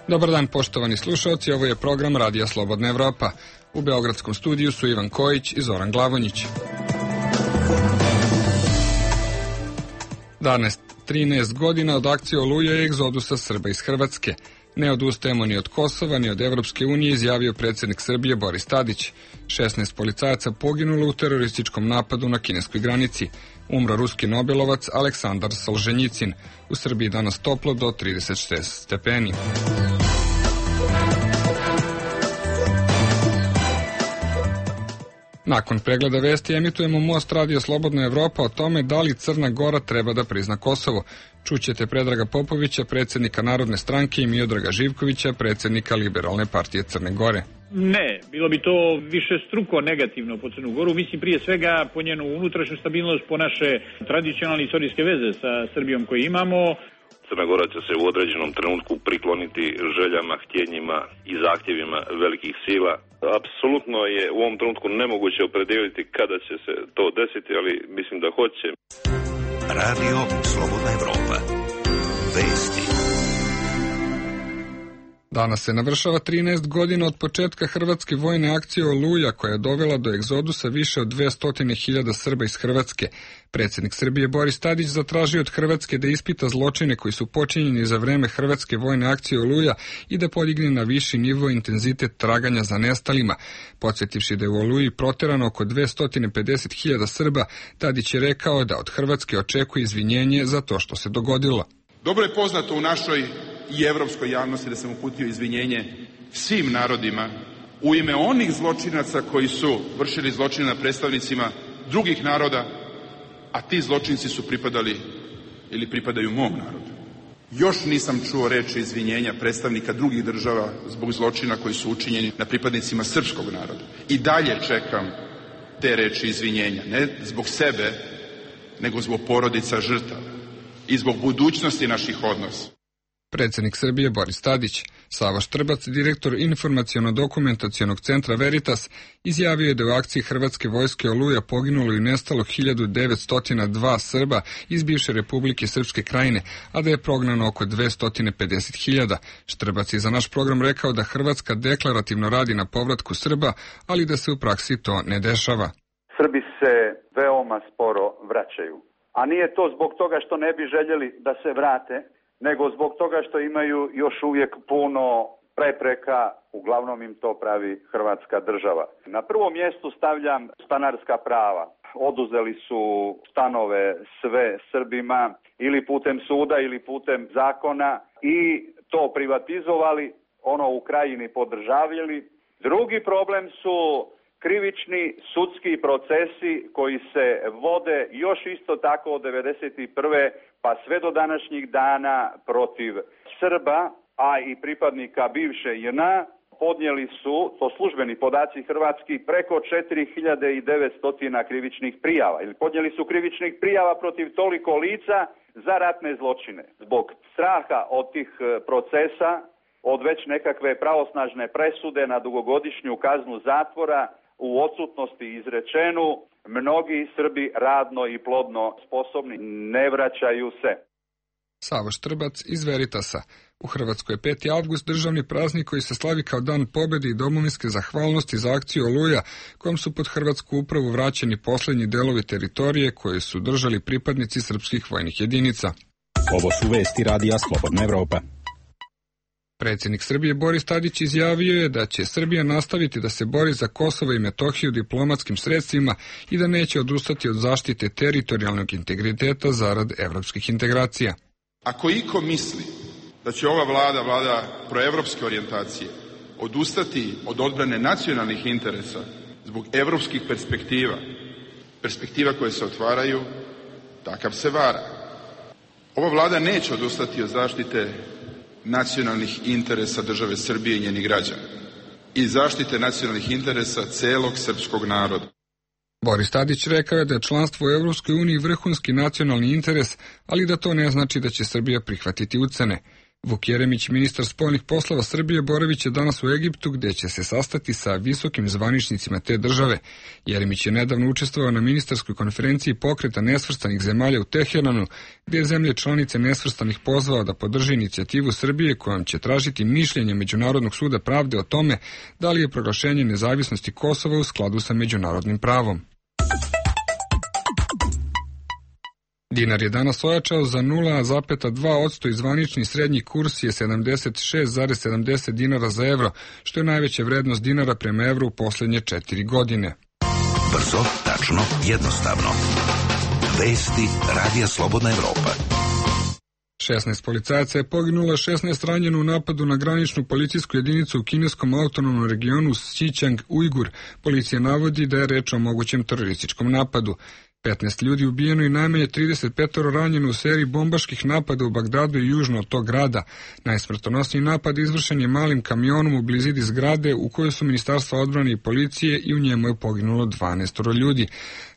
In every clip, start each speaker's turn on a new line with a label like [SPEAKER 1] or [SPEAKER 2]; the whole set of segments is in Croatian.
[SPEAKER 1] Dobar dan, poštovani slušalci, ovo je program Radija Slobodna Evropa. U beogradskom studiju su Ivan Kojić i Zoran Glavonjić. Danas 13 godina od akcije Oluja i egzodusa Srba iz Hrvatske. Ne odustajemo ni od Kosova, ni od Evropske unije, izjavio predsjednik Srbije Boris Tadić. 16 policajaca poginulo u terorističkom napadu na kineskoj granici. Umro ruski nobelovac Aleksandar Solženjicin. U Srbiji danas toplo do 36 stepeni. Nakon pregleda vesti emitujemo Most Radio Slobodna Evropa o tome da li Crna Gora treba da prizna Kosovo. Čućete Predraga Popovića, predsjednika Narodne stranke, i Miodraga Živkovića, predsjednika Liberalne partije Crne Gore.
[SPEAKER 2] Ne, bilo bi to više struko negativno po Crnu Goru. Mislim prije svega po njenu unutrašnju stabilnost, po naše tradicionalne istorijske veze sa Srbijom koje imamo.
[SPEAKER 3] Crna Gora će se u određenom trenutku prikloniti željama, htjenjima i zahtjevima velikih sila. Apsolutno je u ovom trenutku nemoguće opredijeliti kada će se to desiti, ali mislim da hoće.
[SPEAKER 4] Radio Slobodna Evropa. Vesti.
[SPEAKER 1] Danas se navršava 13 godina od početka hrvatske vojne akcije Oluja, koja je dovela do egzodusa više od 200.000 Srba iz Hrvatske. Predsjednik Srbije Boris Tadić zatražio od Hrvatske da ispita zločine koji su počinjeni za vreme hrvatske vojne akcije Oluja i da podigne na viši nivo intenzitet traganja za nestalima. Podsjetivši da je u Oluji proterano oko 250.000 Srba, Tadić je rekao da od Hrvatske očekuje izvinjenje za to što se dogodilo.
[SPEAKER 5] Dobro je poznato u našoj i evropskoj javnosti da sam uputio izvinjenje svim narodima u ime onih zločinaca koji su vršili zločine na predstavnicima drugih naroda, a ti zločinci su pripadali ili pripadaju mom narodu. Još nisam čuo reči izvinjenja predstavnika drugih država zbog zločina koji su učinjeni na pripadnicima srpskog naroda. I dalje čekam te reči izvinjenja, ne zbog sebe, nego zbog porodica žrtava i zbog budućnosti naših odnosa.
[SPEAKER 1] Predsjednik Srbije Boris Tadić. Savo Štrbac, direktor informaciono-dokumentacionog centra Veritas, izjavio je da u akciji Hrvatske vojske Oluja poginulo i nestalo 1902 Srba iz bivše Republike Srpske Krajine, a da je prognano oko 250.000. Štrbac je za naš program rekao da Hrvatska deklarativno radi na povratku Srba, ali da se u praksi to ne dešava.
[SPEAKER 6] Srbi se veoma sporo vraćaju, a nije to zbog toga što ne bi željeli da se vrate, nego zbog toga što imaju još uvijek puno prepreka, uglavnom im to pravi Hrvatska država. Na prvom mjestu stavljam stanarska prava. Oduzeli su stanove sve Srbima ili putem suda ili putem zakona i to privatizovali, ono u Krajini podržavljali. Drugi problem su krivični sudski procesi koji se vode još isto tako od 1991. pa sve do današnjih dana protiv Srba, a i pripadnika bivše JNA. Podnijeli su, to službeni podaci hrvatski, preko 4.900 krivičnih prijava. Ili podnijeli su krivičnih prijava protiv toliko lica za ratne zločine. Zbog straha od tih procesa, od već nekakve pravosnažne presude na dugogodišnju kaznu zatvora, u odsutnosti izrečenu, mnogi Srbi radno i plodno sposobni ne vraćaju se.
[SPEAKER 1] Savo Štrbac iz Veritasa. U Hrvatskoj je 5. avgust državni praznik koji se slavi kao dan pobjede i domovinske zahvalnosti za akciju Oluja, kojom su pod hrvatsku upravu vraćeni posljednji delovi teritorije koje su držali pripadnici srpskih vojnih jedinica.
[SPEAKER 7] Ovo su vesti Radija Slobodna Evropa.
[SPEAKER 1] Predsjednik Srbije Boris Tadić izjavio je da će Srbija nastaviti da se bori za Kosovo i Metohiju diplomatskim sredstvima i da neće odustati od zaštite teritorijalnog integriteta zarad evropskih integracija.
[SPEAKER 5] Ako iko misli da će ova vlada proevropske orijentacije, odustati od odbrane nacionalnih interesa zbog evropskih perspektiva koje se otvaraju, takav se vara. Ova vlada neće odustati od zaštite nacionalnih interesa države Srbije i njenih građana i zaštite nacionalnih interesa celog srpskog naroda.
[SPEAKER 1] Boris Tadić rekao je da je članstvo u Evropskoj uniji vrhunski nacionalni interes, ali da to ne znači da će Srbija prihvatiti ucene. Vuk Jeremić, ministar spoljnih poslova Srbije, boraviće danas u Egiptu, gdje će se sastati sa visokim zvaničnicima te države. Jeremić je nedavno učestvovao na ministarskoj konferenciji pokreta nesvrstanih zemalja u Teheranu, gdje je zemlje članice nesvrstanih pozvao da podrži inicijativu Srbije kojom će tražiti mišljenje Međunarodnog suda pravde o tome da li je proglašenje nezavisnosti Kosova u skladu sa međunarodnim pravom. Dinar je danas ojačao za 0,2% i zvanični srednji kurs je 76,70 dinara za evro, što je najveća vrednost dinara prema evru u posljednje 4 godine.
[SPEAKER 4] Brzo, tačno, jednostavno. Vesti Radija Slobodna Evropa.
[SPEAKER 1] 16 policajaca je poginulo, 16 ranjeno u napadu na graničnu policijsku jedinicu u kineskom autonomnom regionu Xinjiang-Ujgur. Policija navodi da je reč o mogućem terorističkom napadu. 15 ljudi ubijeno i najmanje 35 ranjeno u seriji bombaških napada u Bagdadu i južno od tog grada. Najsmrtonosniji napad izvršen je malim kamionom u blizini zgrade u kojoj su Ministarstva odbrane i policije i u njemu je poginulo 12 ljudi.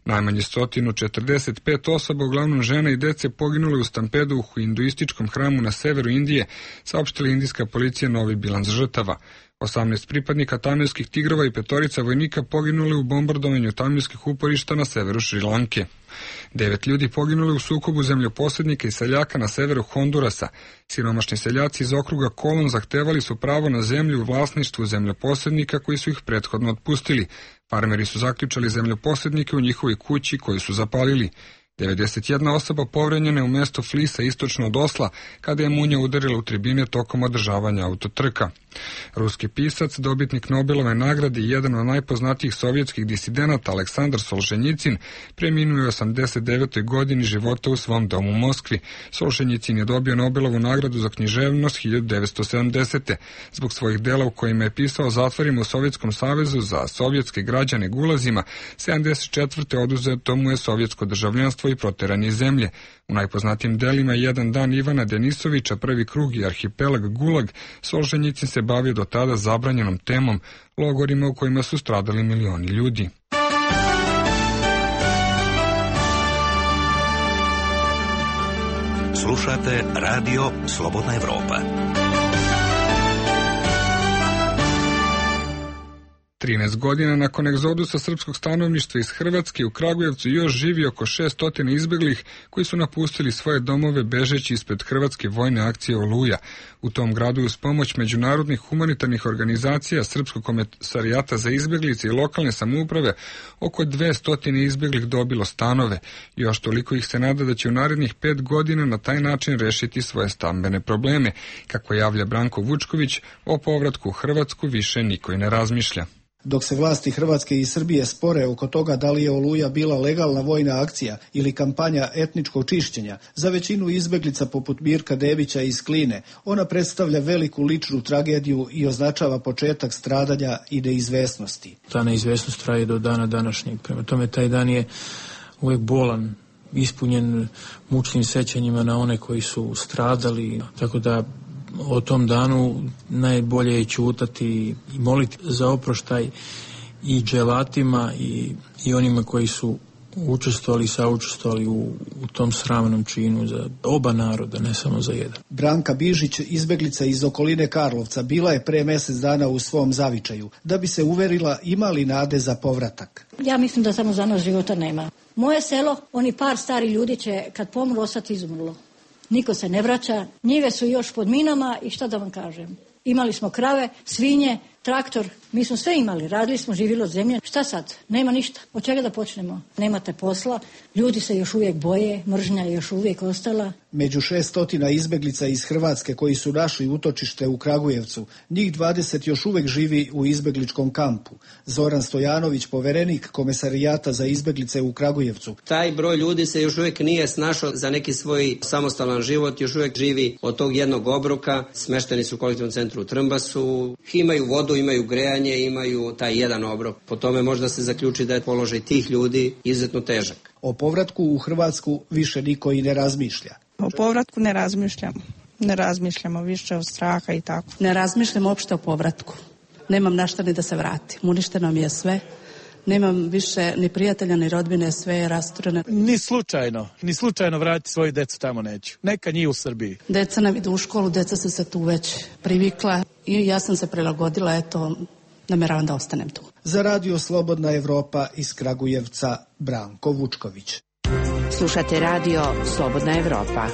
[SPEAKER 1] Najmanje 145 osoba, uglavnom žena i dece, poginule u stampedu u hinduističkom hramu na severu Indije, saopštila indijska policija novi bilans žrtava. 18 pripadnika tamilskih tigrova i 5 vojnika poginuli u bombardovanju tamilskih uporišta na severu Šrilanke. 9 ljudi poginuli u sukobu zemljoposjednika i seljaka na severu Hondurasa. Siromašni seljaci iz okruga Kolon zahtevali su pravo na zemlju u vlasništvu zemljoposjednika koji su ih prethodno otpustili. Farmeri su zaključali zemljoposjednike u njihovoj kući koju su zapalili. 91 osoba povređena je u mjestu Flisa istočno od Osla kada je munja udarila u tribine tokom održavanja autotrka. Ruski pisac, dobitnik Nobelove nagrade i jedan od najpoznatijih sovjetskih disidenata Aleksandar Solženjicin preminuo je u 89. godini života u svom domu u Moskvi. Solženjicin je dobio Nobelovu nagradu za književnost 1970. zbog svojih dela u kojima je pisao o zatvorima u Sovjetskom savezu za sovjetske građane gulazima. 74. oduzeto mu je sovjetsko državljanstvo i proteran iz zemlje. U najpoznatijim delima Jedan dan Ivana Denisovića, Prvi krug i Arhipelag Gulag, Solženjicin se bavio do tada zabranjenom temom, logorima u kojima su stradali milioni ljudi.
[SPEAKER 4] Slušate Radio Slobodna Evropa.
[SPEAKER 1] 13 godina nakon egzodusa srpskog stanovništva iz Hrvatske, u Kragujevcu još živi oko 600 izbjeglih koji su napustili svoje domove bežeći ispred hrvatske vojne akcije Oluja. U tom gradu uz pomoć međunarodnih humanitarnih organizacija, Srpskog komesarijata za izbjeglice i lokalne samouprave, oko 200 izbjeglih dobilo stanove. Još toliko ih se nada da će u narednih 5 godina na taj način rešiti svoje stambene probleme. Kako javlja Branko Vučković, o povratku u Hrvatsku više niko i ne razmišlja.
[SPEAKER 8] Dok se vlasti Hrvatske i Srbije spore oko toga da li je Oluja bila legalna vojna akcija ili kampanja etničkog čišćenja, za većinu izbeglica poput Mirka Debića iz Kline, ona predstavlja veliku ličnu tragediju i označava početak stradanja i neizvesnosti.
[SPEAKER 9] Ta neizvesnost traje do dana današnjeg. Prema tome, taj dan je uvijek bolan, ispunjen mučnim sećanjima na one koji su stradali, tako da o tom danu najbolje je ćutati i moliti za oproštaj i dželatima i onima koji su učestvovali i saučestvovali u tom sramnom činu za oba naroda, ne samo za jedan.
[SPEAKER 8] Branka Bižić, izbeglica iz okoline Karlovca, bila je pre mjesec dana u svom zavičaju, da bi se uverila ima li nade za povratak.
[SPEAKER 10] Ja mislim da samo za nas života nema. Moje selo, oni par stari ljudi će kad pomru ostati izumrlo. Niko se ne vraća, njive su još pod minama i šta da vam kažem. Imali smo krave, svinje, traktor, mi smo sve imali, radili smo, živjeli od zemlje. Šta sad? Nema ništa. Od čega da počnemo? Nemate posla, ljudi se još uvijek boje, mržnja je još uvijek ostala.
[SPEAKER 8] Među 600 izbeglica iz Hrvatske koji su našli utočište u Kragujevcu, njih 20 još uvijek živi u izbegličkom kampu. Zoran Stojanović, poverenik Komesarijata za izbeglice u Kragujevcu.
[SPEAKER 11] Taj broj ljudi se još uvijek nije snašao za neki svoj samostalan život, još uvijek živi od tog jednog obroka, smešteni su u kolektivnom centru u Trmbasu, imaju vodu, imaju grejanje, imaju taj jedan obrok. Po tome možda se zaključi da je položaj tih ljudi izuzetno težak.
[SPEAKER 8] O povratku u Hrvatsku više niko i ne razmišlja.
[SPEAKER 12] O povratku ne razmišljamo. Ne razmišljamo više od straha i tako.
[SPEAKER 13] Ne razmišljamo uopšte o povratku. Nemam na šta ni da se vratim. Uništeno mi je sve. Nemam više ni prijatelja, ni rodbine, sve je rastureno.
[SPEAKER 14] Ni slučajno vratiti svoju decu tamo neću. Neka njih u Srbiji.
[SPEAKER 13] Deca nam idu u školu, deca su se tu već privikla i ja sam se prilagodila, eto, nameravam da ostanem tu.
[SPEAKER 8] Za Radio Slobodna Evropa iz Kragujevca, Branko Vučković.
[SPEAKER 15] Slušate Radio Slobodna Evropa.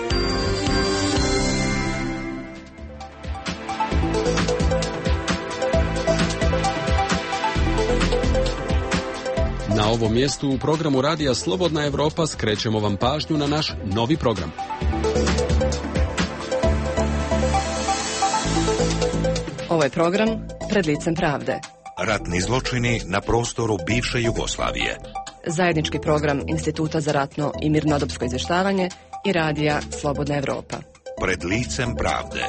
[SPEAKER 16] Na ovom mjestu u programu Radija Slobodna Evropa skrećemo vam pažnju na naš novi program.
[SPEAKER 15] Ovo je program Pred licem pravde.
[SPEAKER 4] Ratni zločini na prostoru bivše Jugoslavije.
[SPEAKER 15] Zajednički program Instituta za ratno i mirnodopsko izvještavanje i Radija Slobodna Evropa.
[SPEAKER 4] Pred licem pravde.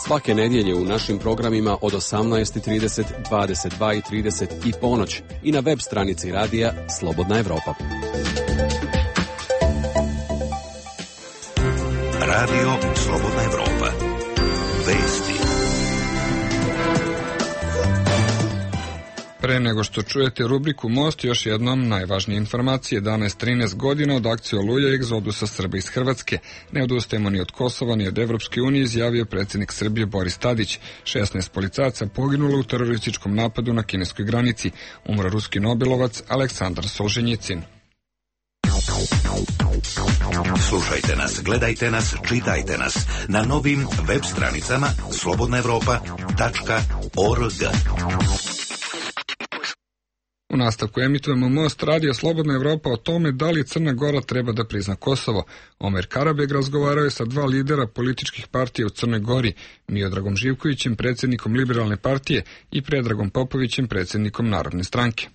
[SPEAKER 16] Svake nedjelje u našim programima od 18:30, 22:30 i ponoć i na web stranici Radija Slobodna Evropa.
[SPEAKER 4] Radio Slobodna Evropa. Vesti.
[SPEAKER 1] Pre nego što čujete rubriku Most, još jednom najvažnije informacije. 13 godina od akcije Oluja i egzodusa Srba iz Hrvatske. Ne odustajemo ni od Kosova, ni od Evropske unije, izjavio predsjednik Srbije Boris Tadić. 16 policajaca poginulo u terorističkom napadu na kineskoj granici. Umro ruski nobelovac Aleksandar Solženjicin.
[SPEAKER 4] Slušajte nas, gledajte nas, čitajte nas na novim web stranicama slobodnaevropa.org.
[SPEAKER 1] U nastavku emitujemo Most, Radio Slobodna Evropa o tome da li Crna Gora treba da prizna Kosovo. Omer Karabeg razgovarao je sa dva lidera političkih partija u Crnoj Gori, Miodragom Živkovićem, predsjednikom Liberalne partije, i Predragom Popovićem, predsjednikom Narodne stranke.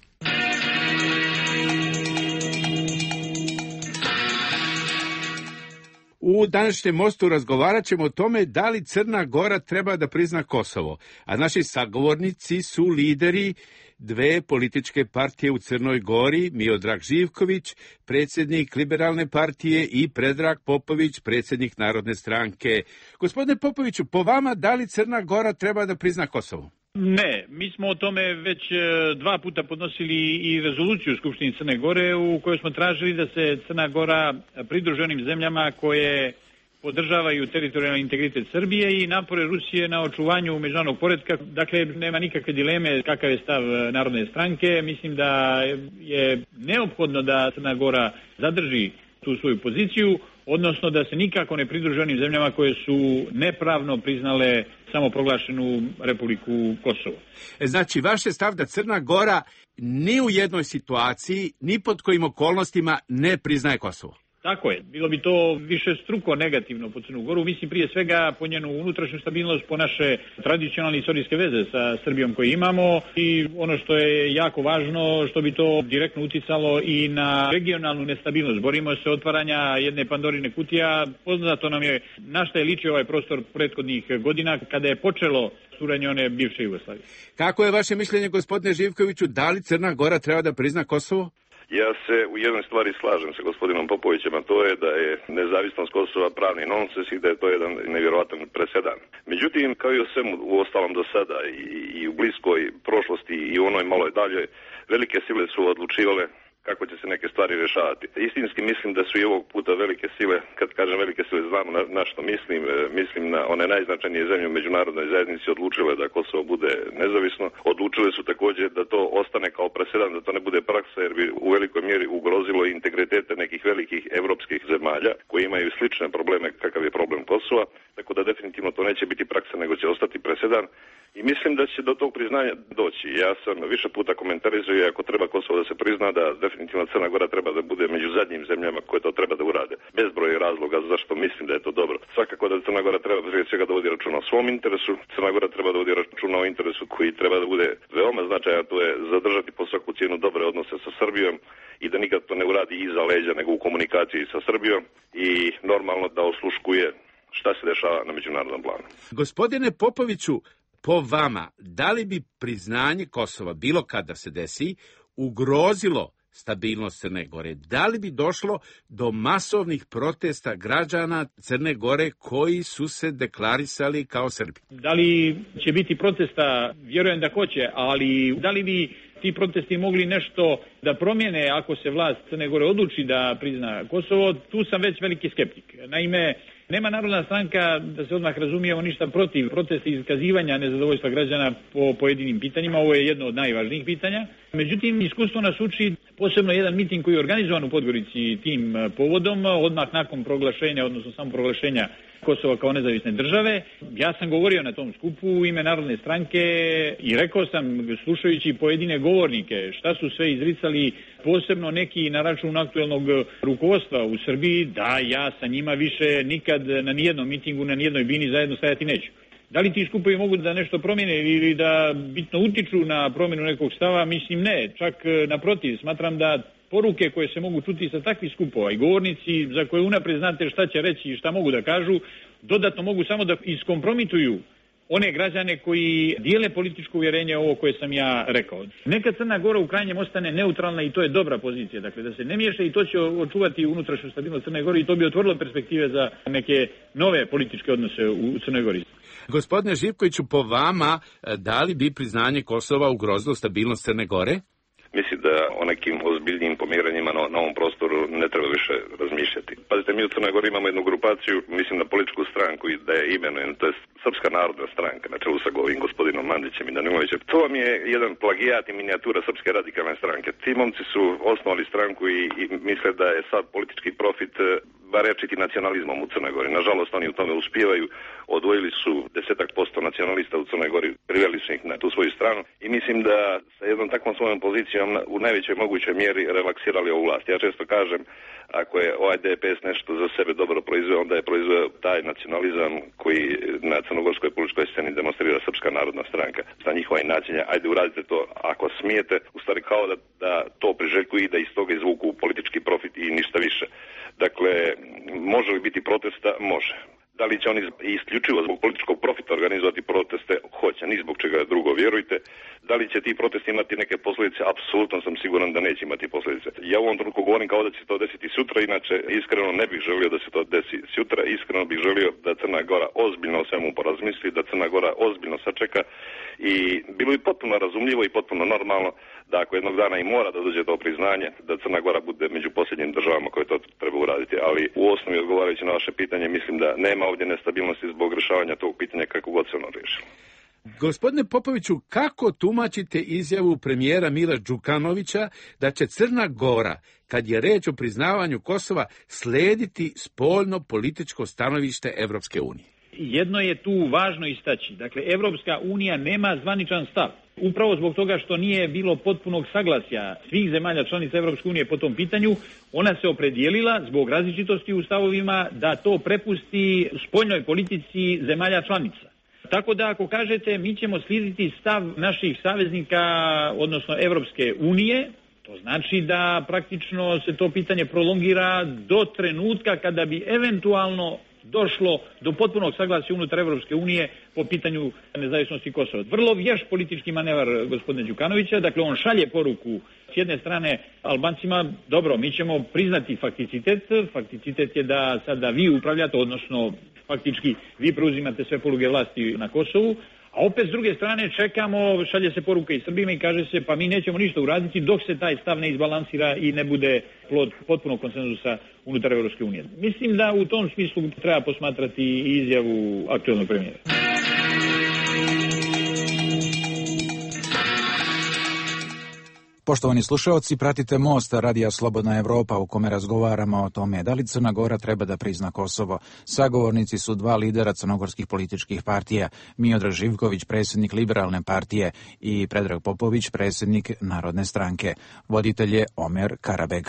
[SPEAKER 17] U današnjem Mostu razgovarat ćemo o tome da li Crna Gora treba da prizna Kosovo, a naši sagovornici su lideri dve političke partije u Crnoj Gori, Miodrag Živković, predsjednik Liberalne partije, i Predrag Popović, predsjednik Narodne stranke. Gospodine Popoviću, po vama, da li Crna Gora treba da prizna Kosovo?
[SPEAKER 2] Ne, mi smo o tome već 2 puta podnosili i rezoluciju u Skupštini Crne Gore u kojoj smo tražili da se Crna Gora pridruži onim zemljama koje podržavaju teritorijalni integritet Srbije i napore Rusije na očuvanju međunarodnog poretka. Dakle, nema nikakve dileme kakav je stav Narodne stranke. Mislim da je neophodno da Crna Gora zadrži tu svoju poziciju, odnosno da se nikako ne pridruži onim zemljama koje su nepravno priznale samoproglašenu Republiku Kosovo.
[SPEAKER 17] Znači, vaš je stav da Crna Gora ni u jednoj situaciji, ni pod kojim okolnostima ne priznaje Kosovo?
[SPEAKER 2] Tako je. Bilo bi to više struko negativno po Crnu Goru. Mislim prije svega po njenu unutrašnju stabilnost, po naše tradicionalne istorijske veze sa Srbijom koje imamo i ono što je jako važno, što bi to direktno uticalo i na regionalnu nestabilnost. Borimo se otvaranja jedne Pandorine kutija. Poznato nam je na šta je ličio ovaj prostor prethodnih godina kada je počelo suranje one bivše Jugoslavije.
[SPEAKER 17] Kako je vaše mišljenje, gospodine Živkoviću, da li Crna Gora treba da prizna Kosovo?
[SPEAKER 3] Ja se u jednoj stvari slažem sa gospodinom Popovićem, a to je da je nezavisnost Kosova pravni nonsens i da je to jedan nevjerojatan presedan. Međutim, kao i o svemu u ostalom do sada i u bliskoj prošlosti i u onoj maloj daljoj, velike sile su odlučivale kako će se neke stvari rješavati. Istinski mislim da su i ovog puta velike sile, kad kažem velike sile znamo na što mislim, mislim na one najznačajnije zemlje u međunarodnoj zajednici odlučile da Kosovo bude nezavisno. Odlučile su također da to ostane kao presedan, da to ne bude praksa jer bi u velikoj mjeri ugrozilo integritete nekih velikih evropskih zemalja koji imaju slične probleme kakav je problem Kosova, tako da definitivno to neće biti praksa nego će ostati presedan. I mislim da će do tog priznanja doći. Ja sam više puta komentarizao i ako treba Kosovo da se prizna da definitivno Crna Gora treba da bude među zadnjim zemljama koje to treba da urade. Bezbroj razloga zašto mislim da je to dobro. Svakako da Crna Gora treba prije svega da vodi računa o svom interesu. Crna Gora treba da vodi računa o interesu koji treba da bude veoma značajan, to je zadržati po svaku cijenu dobre odnose sa Srbijom i da nikad to ne uradi iza leđa nego u komunikaciji sa Srbijom i normalno da osluškuje šta se dešava na međunarodnom planu.
[SPEAKER 17] Gospodine Popoviću, po vama, da li bi priznanje Kosova bilo kada se desi ugrozilo stabilnost Crne Gore? Da li bi došlo do masovnih protesta građana Crne Gore koji su se deklarisali kao Srbi?
[SPEAKER 2] Da li će biti protesta? Vjerujem da hoće, ali da li bi ti protesti mogli nešto da promijene ako se vlast Crne Gore odluči da prizna Kosovo? Tu sam već veliki skeptik. Naime, nema Narodna stranka, da se odmah razumijemo, ništa protiv protesta i iskazivanja nezadovoljstva građana po pojedinim pitanjima. Ovo je jedno od najvažnijih pitanja. Međutim, iskustvo nas uči, posebno jedan miting koji je organizovan u Podgorici tim povodom, odmah nakon proglašenja, odnosno samo proglašenja Kosova kao nezavisne države. Ja sam govorio na tom skupu u ime Narodne stranke i rekao sam, slušajući pojedine govornike, šta su sve izricali, posebno neki na račun aktuelnog rukovodstva u Srbiji, da ja sa njima više nikad na nijednom mitingu, na nijednoj bini zajedno stajati neću. Da li ti skupovi mogu da nešto promijene ili da bitno utiču na promjenu nekog stava? Mislim ne, čak naprotiv, smatram da poruke koje se mogu čuti sa takvih skupova i govornici za koje unaprijed znate šta će reći i šta mogu da kažu, dodatno mogu samo da iskompromituju one građane koji dijele političko uvjerenje ovo koje sam ja rekao. Neka Crna Gora u krajnjem ostane neutralna i to je dobra pozicija, dakle da se ne miješa i to će očuvati unutrašnju stabilnost Crne Gore i to bi otvorilo perspektive za neke nove političke odnose u Crnoj Gori.
[SPEAKER 17] Gospodine Živkoviću, po vama, da li bi priznanje Kosova ugrozilo stabilnost Crne Gore?
[SPEAKER 3] Mislim da o nekim ozbiljnijim pomiranjima na ovom prostoru ne treba više razmišljati. Pazite, mi u Crnoj Gori imamo jednu grupaciju, mislim na političku stranku i da je imenujem, to je Srpska narodna stranka, na čelu sa ovim gospodinom Mandićem i Danimovićem. To vam je jedan plagijat i minijatura Srpske radikalne stranke. Ti momci su osnovali stranku i misle da je sad politički profit barečiti nacionalizmom u Crnoj Gori. Nažalost, oni u tome uspijevaju. Odvojili su 10% nacionalista u Crnoj Gori, priveli su ih na tu svoju stranu i mislim da sa jednom takvom svojom pozicijom u najvećoj mogućoj mjeri relaksirali ovu vlast. Ja često kažem, ako je ovaj DPS nešto za sebe dobro proizveo, onda je proizveo taj nacionalizam koji na crnogorskoj političkoj sceni demonstrira Srpska narodna stranka. Sa njihova inačenja, ajde uradite to ako smijete, u stvari kao da to priželjkuju i da iz toga izvuku politički profit i ništa više. Dakle, može li biti protesta? Može. Da li će oni isključivo zbog političkog profita organizovati proteste? Hoće, ni zbog čega drugo, vjerujte. Da li će ti protesti imati neke posljedice? Apsolutno sam siguran da neće imati posljedice. Ja u ovom trenutku govorim kao da će se to desiti sutra, inače iskreno ne bih želio da se to desi sutra. Iskreno bih želio da Crna Gora ozbiljno o svemu porazmisli, da Crna Gora ozbiljno sačeka i bilo bi potpuno razumljivo i potpuno normalno da ako jednog dana i mora da dođe do priznanja, da Crna Gora bude među posljednjim državama koje to treba uraditi. Ali u osnovi, odgovarajući na vaše pitanje, mislim da nema ovdje nestabilnosti zbog rješavanja tog pitanja kako god se ono riješilo.
[SPEAKER 17] Gospodine Popoviću, kako tumačite izjavu premijera Mila Đukanovića da će Crna Gora, kad je reč o priznavanju Kosova, slediti spoljno političko stanovište Evropske unije?
[SPEAKER 2] Jedno je tu važno istaći. Dakle, Evropska unija nema zvaničan stav. Upravo zbog toga što nije bilo potpunog saglasja svih zemalja članica Evropske unije po tom pitanju, ona se opredijelila zbog različitosti u stavovima da to prepusti spoljnoj politici zemalja članica. Tako da ako kažete mi ćemo slijediti stav naših saveznika, odnosno Evropske unije, to znači da praktično se to pitanje prolongira do trenutka kada bi eventualno došlo do potpunog saglasja unutar Evropske unije po pitanju nezavisnosti Kosova. Vrlo vješ politički manevar gospodina Đukanovića, dakle on šalje poruku s jedne strane Albancima, dobro, mi ćemo priznati fakticitet je da sada vi upravljate, odnosno faktički vi preuzimate sve poluge vlasti na Kosovu, a opet s druge strane čekamo, šalje se poruka i Srbima i kaže se pa mi nećemo ništa uraditi dok se taj stav ne izbalansira i ne bude plod potpunog konsenzusa unutar Evropske unije. Mislim da u tom smislu treba posmatrati i izjavu aktuelnog premijera.
[SPEAKER 18] Poštovani slušalci, pratite Most Radija Slobodna Evropa u kome razgovaramo o tome da li Crna Gora treba da prizna Kosovo. Sagovornici su dva lidera crnogorskih političkih partija, Miodrag Živković, predsjednik Liberalne partije i Predrag Popović, predsjednik Narodne stranke. Voditelj je Omer Karabeg.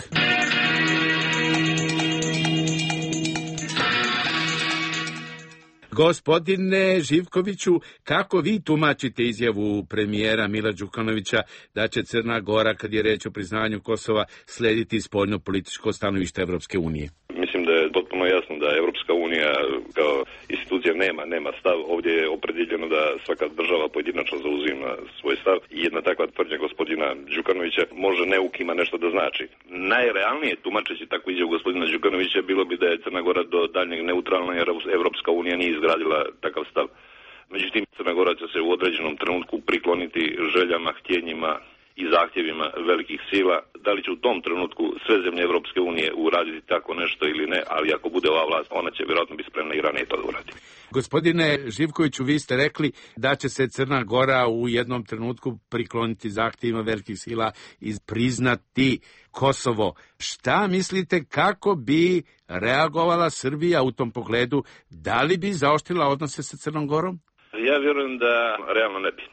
[SPEAKER 17] Gospodine Živkoviću, kako vi tumačite izjavu premijera Mila Đukanovića da će Crna Gora, kad je reč o priznavanju Kosova, slediti spoljno političko stanovište Evropske unije?
[SPEAKER 3] Mislim da je potpuno jasno da Evropska unija kao institucija nema stav. Ovdje je opredjeljeno da svaka država pojedinačno zauzima svoj stav i jedna takva tvrdnja gospodina Đukanovića može neukima nešto da znači. Najrealnije tumačeći takvu izjavu gospodina Đukanovića bilo bi da je Crna Gora do daljnjeg neutralna jer Evropska unija nije izgradila takav stav. Međutim, Crna Gora će se u određenom trenutku prikloniti željama, htjenjima i zahtjevima velikih sila. Da li će u tom trenutku sve zemlje Evropske unije uraditi tako nešto ili ne, ali ako bude ova vlast, ona će vjerojatno biti spremna i ranije to da uradi.
[SPEAKER 17] Gospodine Živkoviću, vi ste rekli da će se Crna Gora u jednom trenutku prikloniti zahtjevima velikih sila i priznati Kosovo. Šta mislite kako bi reagovala Srbija u tom pogledu? Da li bi zaoštrila odnose sa Crnom Gorom?
[SPEAKER 3] Ja vjerujem da realno ne bi.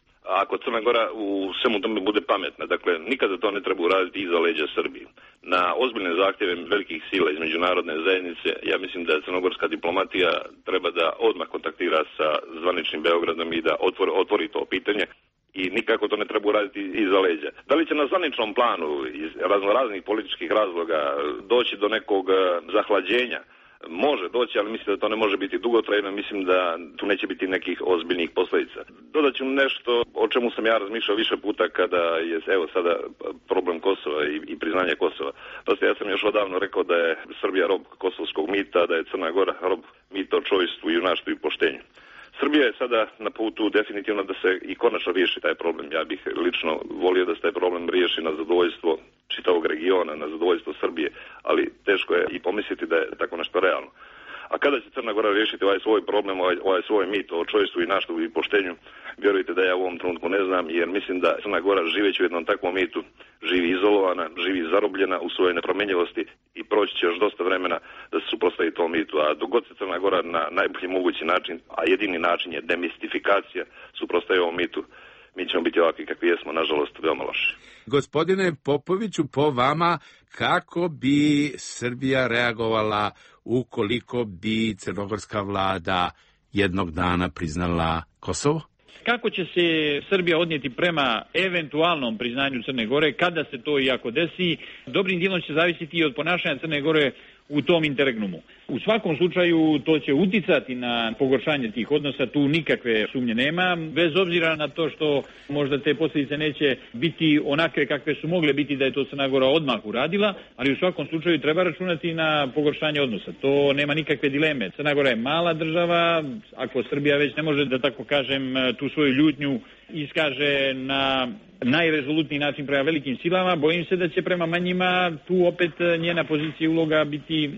[SPEAKER 3] Ako Crna Gora u svemu tome bude pametna, dakle, nikada to ne treba uraditi iza leđa Srbije. Na ozbiljne zahtjeve velikih sila iz međunarodne zajednice, ja mislim da crnogorska diplomatija treba da odmah kontaktira sa zvaničnim Beogradom i da otvori to pitanje i nikako to ne treba uraditi iza leđa. Da li će na zvaničnom planu iz raznoraznih političkih razloga doći do nekog zahlađenja? Može doći, ali mislim da to ne može biti dugotrajno, mislim da tu neće biti nekih ozbiljnih posljedica. Dodat ću nešto o čemu sam ja razmišljao više puta kada je, evo sada, problem Kosova i priznanje Kosova. Dosta, ja sam još odavno rekao da je Srbija rob kosovskog mita, da je Crna Gora rob mita o čovjestvu, junaštvu i poštenju. Srbija je sada na putu definitivno da se i konačno riješi taj problem. Ja bih lično volio da se taj problem riješi na zadovoljstvo čitavog regiona, na zadovoljstvo Srbije, ali teško je i pomisliti da je tako nešto realno. A kada će Crna Gora riješiti ovaj svoj problem, ovaj svoj mit o čovjestvu i junaštvu i poštenju, vjerujte da ja u ovom trenutku ne znam, jer mislim da Crna Gora živeći u jednom takvom mitu živi izolovana, živi zarobljena u svojoj nepromjenjivosti i proći će još dosta vremena da se suprotstavi tom mitu. A dok god se Crna Gora na najbolji mogući način, a jedini način je demistifikacija, suprotstavi ovom mitu, mi ćemo biti ovakvi kakvi jesmo, nažalost, veoma loši.
[SPEAKER 17] Gospodine Popoviću, po vama, kako bi Srbija reagovala ukoliko bi crnogorska vlada jednog dana priznala Kosovo?
[SPEAKER 2] Kako će se Srbija odnijeti prema eventualnom priznanju Crne Gore, kada se to i ako desi, dobrim dijelom će zavisiti i od ponašanja Crne Gore u tom interregnumu. U svakom slučaju to će uticati na pogoršanje tih odnosa, tu nikakve sumnje nema, bez obzira na to što možda te posljedice neće biti onakve kakve su mogle biti da je to Crna Gora odmah uradila, ali u svakom slučaju treba računati na pogoršanje odnosa. To nema nikakve dileme. Crna Gora je mala država, ako Srbija već ne može, da tako kažem, tu svoju ljutnju iskaže na najrezolutniji način prema velikim silama, bojim se da će prema manjima tu opet njena pozicija i uloga biti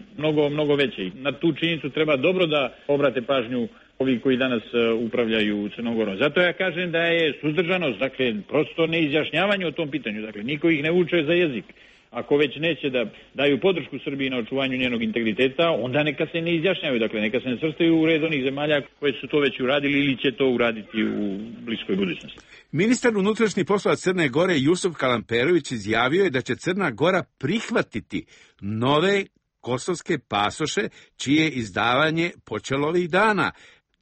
[SPEAKER 2] mnogo veća. Na tu činjenicu treba dobro da obrate pažnju ovi koji danas upravljaju Crnom Gorom. Zato ja kažem da je suzdržanost, dakle, prosto neizjašnjavanje o tom pitanju. Dakle, niko ih ne uče za jezik. Ako već neće da daju podršku Srbiji na očuvanju njenog integriteta, onda neka se ne izjašnjavaju. Dakle, neka se ne svrstaju u red onih zemalja koje su to već uradili ili će to uraditi u bliskoj budućnosti.
[SPEAKER 17] Ministar unutrašnjih poslova Crne Gore Jusuf Kalamperović izjavio je da će Crna Gora prihvatiti nove kosovske pasoše čije izdavanje počelo ovih dana.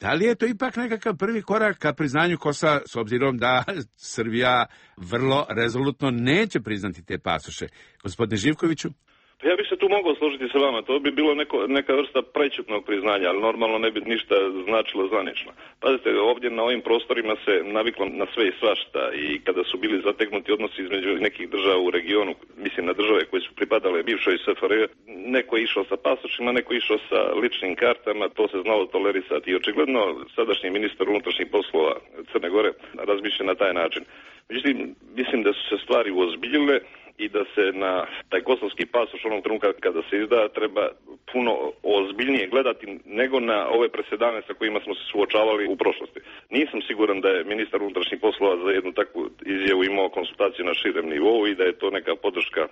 [SPEAKER 17] Da li je to ipak nekakav prvi korak ka priznanju Kosova, s obzirom da Srbija vrlo rezolutno neće priznati te pasoše? Gospodine Živkoviću?
[SPEAKER 3] Ja bih se tu mogao složiti sa vama, to bi bilo neka vrsta prečutnog priznanja, ali normalno ne bi ništa značilo zvanično. Pazite, ovdje na ovim prostorima se naviklo na sve i svašta i kada su bili zategnuti odnosi između nekih država u regionu, mislim na države koje su pripadale bivšoj SFRJ, neko je išao sa pasošima, neko je išao sa ličnim kartama, to se znalo tolerisati i očigledno sadašnji ministar unutrašnjih poslova Crne Gore razmišlja na taj način. Međutim, mislim da su se stvari uozbiljile i da se na taj kosovski pasoš onog trenutka kada se izda treba puno ozbiljnije gledati nego na ove presedane sa kojima smo se suočavali u prošlosti. Nisam siguran da je ministar unutrašnjih poslova za jednu takvu izjavu imao konsultaciju na širem nivou i da je to neka podrška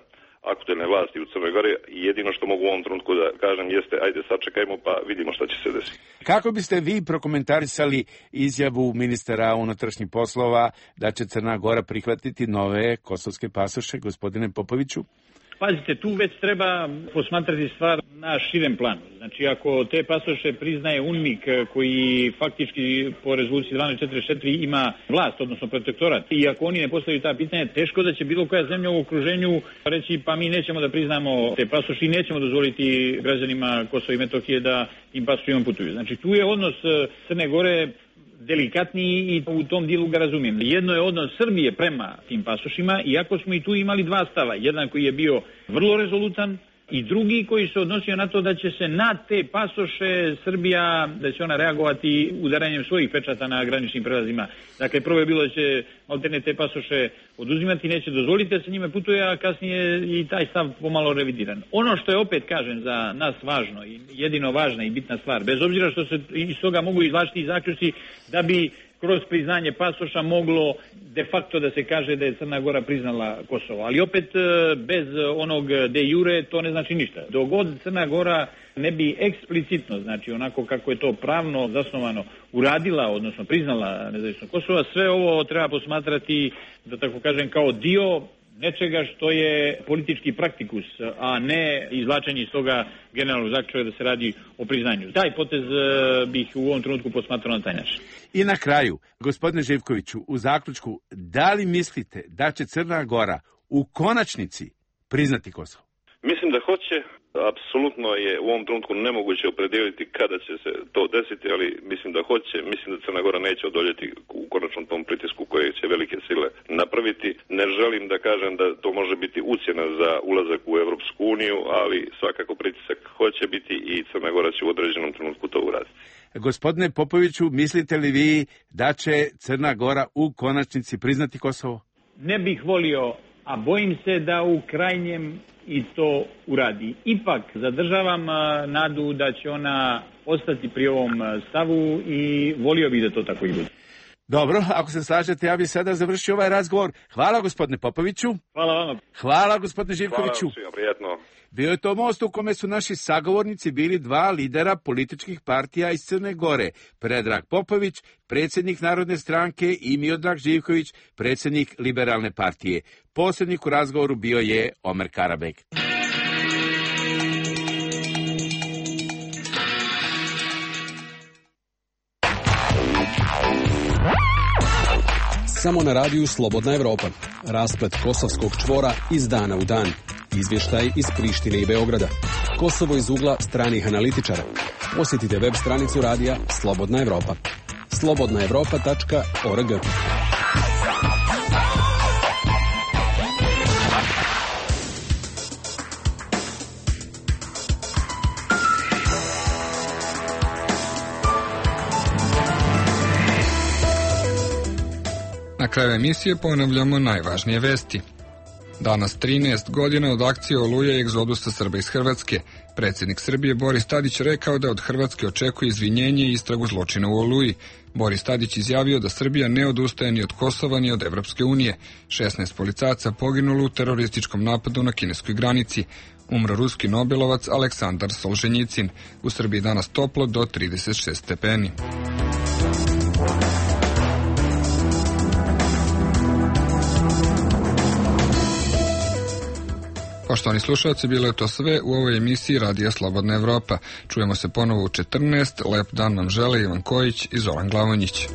[SPEAKER 3] aktuelne vlasti u Crnoj Gori i jedino što mogu u ovom trenutku da kažem jeste ajde sačekajmo pa vidimo šta će se desiti.
[SPEAKER 17] Kako biste vi prokomentarisali izjavu ministra unutrašnjih poslova da će Crna Gora prihvatiti nove kosovske pasoše, gospodine Popoviću?
[SPEAKER 2] Pazite, tu već treba posmatrati stvar na širem planu. Znači, ako te pasoše priznaje UNMIK, koji faktički po rezoluciji 1244 ima vlast, odnosno protektorat, i ako oni ne postavljaju ta pitanja, teško da će bilo koja zemlja u okruženju reći pa mi nećemo da priznamo te pasoše i nećemo dozvoliti građanima Kosova i Metohije da im pasošima putuju. Znači, tu je odnos Crne Gore delikatniji i u tom dijelu ga razumijem. Jedno je odnos Srbije prema tim pasošima, iako smo i tu imali dva stava. Jedan koji je bio vrlo rezolutan i drugi koji se odnosio na to da će se na te pasoše Srbija, da će ona reagovati udaranjem svojih pečata na graničnim prelazima. Dakle, prvo je bilo da će alterne te pasoše oduzimati, neće dozvoliti da se njime putuje, a kasnije i taj stav pomalo revidiran. Ono što je opet, kažem, za nas važno i jedino važna i bitna stvar, bez obzira što se iz toga mogu izvlačiti i zaključci da bi kroz priznanje pasoša moglo de facto da se kaže da je Crna Gora priznala Kosovo. Ali opet bez onog de jure to ne znači ništa. Dok god Crna Gora ne bi eksplicitno, znači onako kako je to pravno zasnovano, uradila, odnosno priznala nezavisno Kosova, sve ovo treba posmatrati, da tako kažem, kao dio nečega što je politički praktikus, a ne izvlačenje iz toga generalnog zaključka da se radi o priznanju. Taj potez bih u ovom trenutku posmatrao na taj način.
[SPEAKER 17] I na kraju, gospodine Živkoviću, u zaključku, da li mislite da će Crna Gora u konačnici priznati Kosovo?
[SPEAKER 3] Mislim da hoće. Apsolutno je u ovom trenutku nemoguće opredijeliti kada će se to desiti, ali mislim da hoće. Mislim da Crna Gora neće odoljeti u konačnom tom pritisku koje će velike sile napraviti. Ne želim da kažem da to može biti ucjena za ulazak u Evropsku uniju, ali svakako pritisak hoće biti i Crna Gora će u određenom trenutku to uraditi.
[SPEAKER 17] Gospodine Popoviću, mislite li vi da će Crna Gora u konačnici priznati Kosovo?
[SPEAKER 2] Ne bih volio, a bojim se da u krajnjem i to uradi. Ipak zadržavam nadu da će ona ostati pri ovom stavu i volio bih da to tako i bude.
[SPEAKER 17] Dobro, ako se slažete, ja bih sada završio ovaj razgovor. Hvala gospodine Popoviću.
[SPEAKER 2] Hvala vama.
[SPEAKER 17] Hvala gospodine Živkoviću.
[SPEAKER 3] Hvala svima, prijatno.
[SPEAKER 17] Bio je to most u kome su naši sagovornici bili dva lidera političkih partija iz Crne Gore. Predrag Popović, predsjednik Narodne stranke, i Miodrag Živković, predsjednik Liberalne partije. Posrednik u razgovoru bio je Omer Karabek.
[SPEAKER 16] Samo na radiju Slobodna Evropa. Rasplet kosovskog čvora iz dana u dan. Izvještaj iz Prištine i Beograda. Kosovo iz ugla stranih analitičara. Posjetite web stranicu radija Slobodna Evropa. slobodnaevropa.org.
[SPEAKER 1] Na kraju emisije ponavljamo najvažnije vesti. Danas 13 godina od akcije Oluja i egzodusa Srba iz Hrvatske. Predsjednik Srbije Boris Tadić rekao da od Hrvatske očekuje izvinjenje i istragu zločina u Oluji. Boris Tadić izjavio da Srbija ne odustaje ni od Kosova ni od Evropske unije. 16 policajaca poginulo u terorističkom napadu na kineskoj granici. Umro ruski nobelovac Aleksandar Solženjicin. U Srbiji danas toplo do 36 stepeni. Poštovani slušalci, bilo je to sve u ovoj emisiji Radija Slobodna Evropa. Čujemo se ponovo u 14. Lep dan vam žele Ivan Kojić i Zoran Glavonjić.